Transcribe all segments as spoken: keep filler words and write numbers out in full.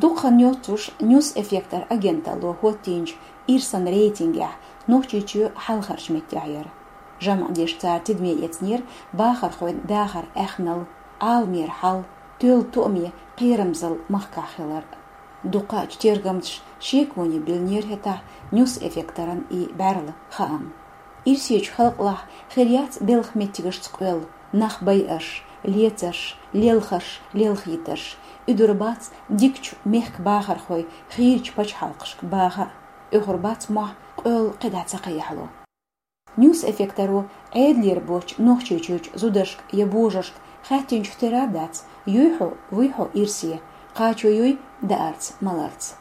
Дукха хан йоццуш, NewsEffector агенталло хӀоттийначу ирсан рейтингехь Нохчийчоь хьалхарчу меттехь яра. ЖамӀ деш цара тидаме эцнера бахархойн дахаран аьхналла, Ӏаламера хьал, тоьлла тоаме кхерамзалла махкахь хилар. Дукхачу тергамчаша шеконе биллинера хӀетахь NewsEffector-ан и бӀаьрла хаам. Ирсечу халкъалахь хир яц белхан меттигашца къоьлла, нах байарш, лецарш, лелхарш, лелхийтарш. Уьдур бац дикачу мехкан бахархой хийрачу пачхьалкхашка баха а, оьхур бац мохь къоьлла кхидӀа ца кхехьало. NewsEffector-о Ӏедалера боцчу Нохчийчуьрчу зударшка я божаршка хаьттинчух тера дац, юй хьо, вуй хьо ирсе, кхачо юй даарца, маларца.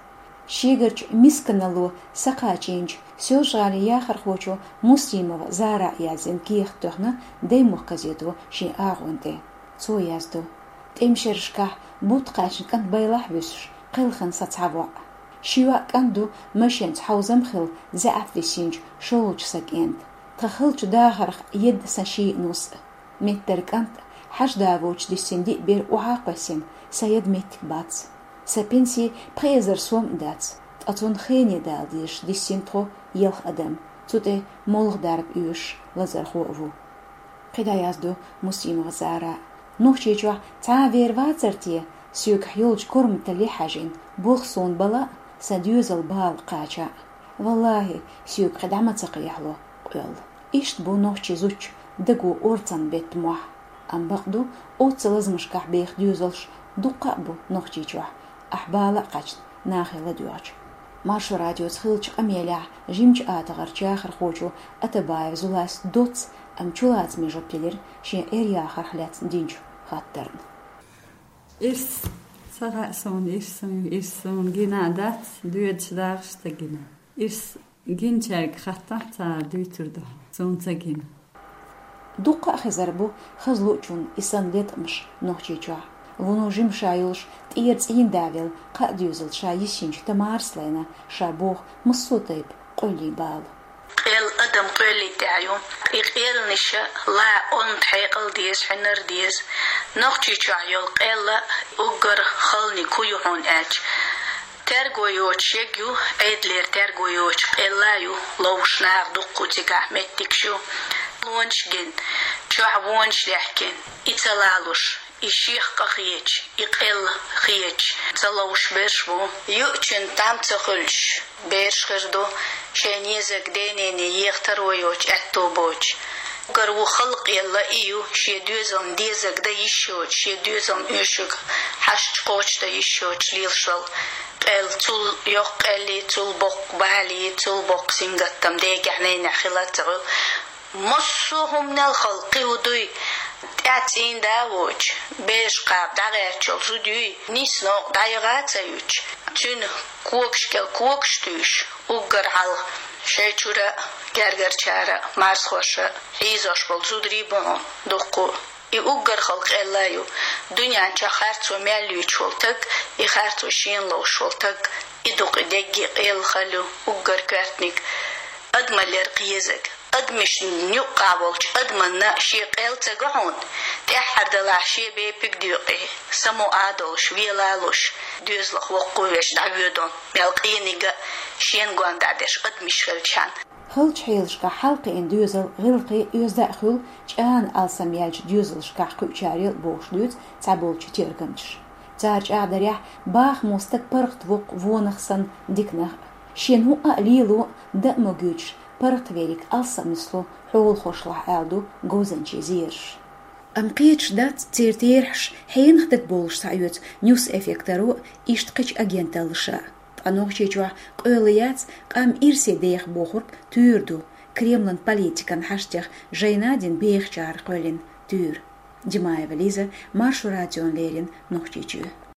Шегарчу мисканалло сакхачийначу Соьлжа-ГӀалин яхархочо Муслимова Зара яздина кехат тоьхна «Даймохк» газето шен агӀон тӀе. Цо яздо: «ТӀеман шерашкахь бутт кхаьчна кӀант байлахь а вуьсуш, кхелхина сан цхьа воӀ. Ши йоӀ кӀант ду, машенца хьовзам хилла заьӀап висинчу шолгӀачу сан кӀентан. Тхан халчу дахарх едда сан шиъ нус а. Меттара кӀант а, хьажа да воцуш диссина диъ бер охьа а кхоьссина, сан яда меттиг бац. Сан пенси пхи эзар сом а дац, ткъа цунна хене дала дезаш диссина тхо, елха адам, цу тӀе молха дарба оьшуш лазархо а ву». КхидӀа яздо Муслимова Зара: «Нохчийчохь цхьа а вер вацара те, соьгахь йолчу корматалле хьаьжина, болх суна бала а, сан доьзал бала кхача а? ВаллахӀи, соьга кхидӀа ма ца кхехьало къоьлла». Иштта бу нохчийн зудчун даго орцанна бетта мохь. Амма бакъду, оццу лазамашкахь беха доьзалш дуккха а бу Нохчийчохь, ахь бала а кхаьчна, нахе ладоьгӀча. Маршо радиоца хиллачу къамелехь жимачу атагӀарчу яхархочо Атабаев Зулас доцца, амма чулацаме жоп делира шен Ӏер-яхарх лаьцна динчу хаттарна. Ирс ца хаьа суна, ирс, ирс суна гина а дац, доьдуш дахарш ца гина. Ирс гинчаьрга хаттахь, цара дуьйцур ду хьуна, суна ца гина. Дуккха а хезар бу хазлуучунна и санна леткъамаш Нохчийчохь. Вуно жима ша йолуш, тӀера цӀийнда велла, кхаа доьзал ша йисинчу Тамарас лайна ша боху массо а тайпа къоьллин бала. Къел адам къоьллин тӀехь ю. И къеллаша ла онда хьекъал деза, хьинар деза. Нохчийчохь йолу къелла уггар халаниг хӀун ю хьуна аьлча, терго йоцуш ерг ю, Ӏедалера терго йоцуш къелла ю, ловзуш наха дуккха цигахь меттигаш ю. Вонаш гина, чохь вонаш лехкина, и ца лалуш, и шех къа хеташ, и къелла хеташ, ца ловзуш берш бу. Юучун там ца хуьлуш берш хир ду, шайн незаг ден-нене еха таро йоцуш, аьтто боцуш. Уггар ву халла къелла и ю, шен доьзална дезаг дан йиш йоцуш, шен доьзална оьшург хьашташ кхочушдан йиш йоцуш лелаш волу къелла. Цул йоккха къеллий, цул боккха балий, цул боккха сингаттам дегахь, ненехь хила а ца хуьлу. Массо а хӀуманал халкъ кхин хӀун дуй, тӀаьхьа цӀийнда а воцуш, бераш кхаба дӀагӀертачул зуда юй, нийса новкъа дӀаяха а ца юьтуш, цуьнан когаш кӀел когаш туьйсуш, уггар хьалха шайн чуьра а, гергарчара а, марзхоша а хьийзош болу зударий бу хьуна дуккха а. И уггар халла къелла ю. Дуьнен чохь харцо мел юьйцуш волу таг, и харцо шена ловзуш волу таг, и ду-кх и дегге къелла хала ю, уггар коьртаниг. Адамаллера кхин езаг. Адамашна юккъахь волчу адаманна шен къел ца го хьуна, тӀаьххьара далахь шен бепиг доькъе, само а долуш, вела а луш, доьзалх воккхавеш дӀавоьду, мел къениг а, шена гондӀа деш адамаш хилчхьана. Халчу хьелашкахь хьалакхиъна доьзал гӀиллакхе оьзда а хуьлу, чӀагӀна алсам яьллачу доьзалшкахь кхуьучарел а бохуш дуьйцу цхьаболчу тергамчаша. Цара чӀагӀдарехь, бахамо стаг паргӀатвоккху вонах санна диканах а. Шена хӀуъа а лело а, дан а ма гуьйцуш, паргӀатверг алсам нисло хьолахошлахь, аьлла ду говзанчийн зераша. Амма кхеташ дац церан терахьаш хьенах дагабовлуш схьаоьцу NewsEffector-о а, иштта кхечу агенталлаша а. Ткъа Нохчийчохь къоьлла яц къам ирсе деха бохург туьйра ду, Кремлан политикан хьаштех жайна а дина бехачара кхоьллина туьйра. Димаева Лиза, Маршо радиона леррина Нохчийчуьра.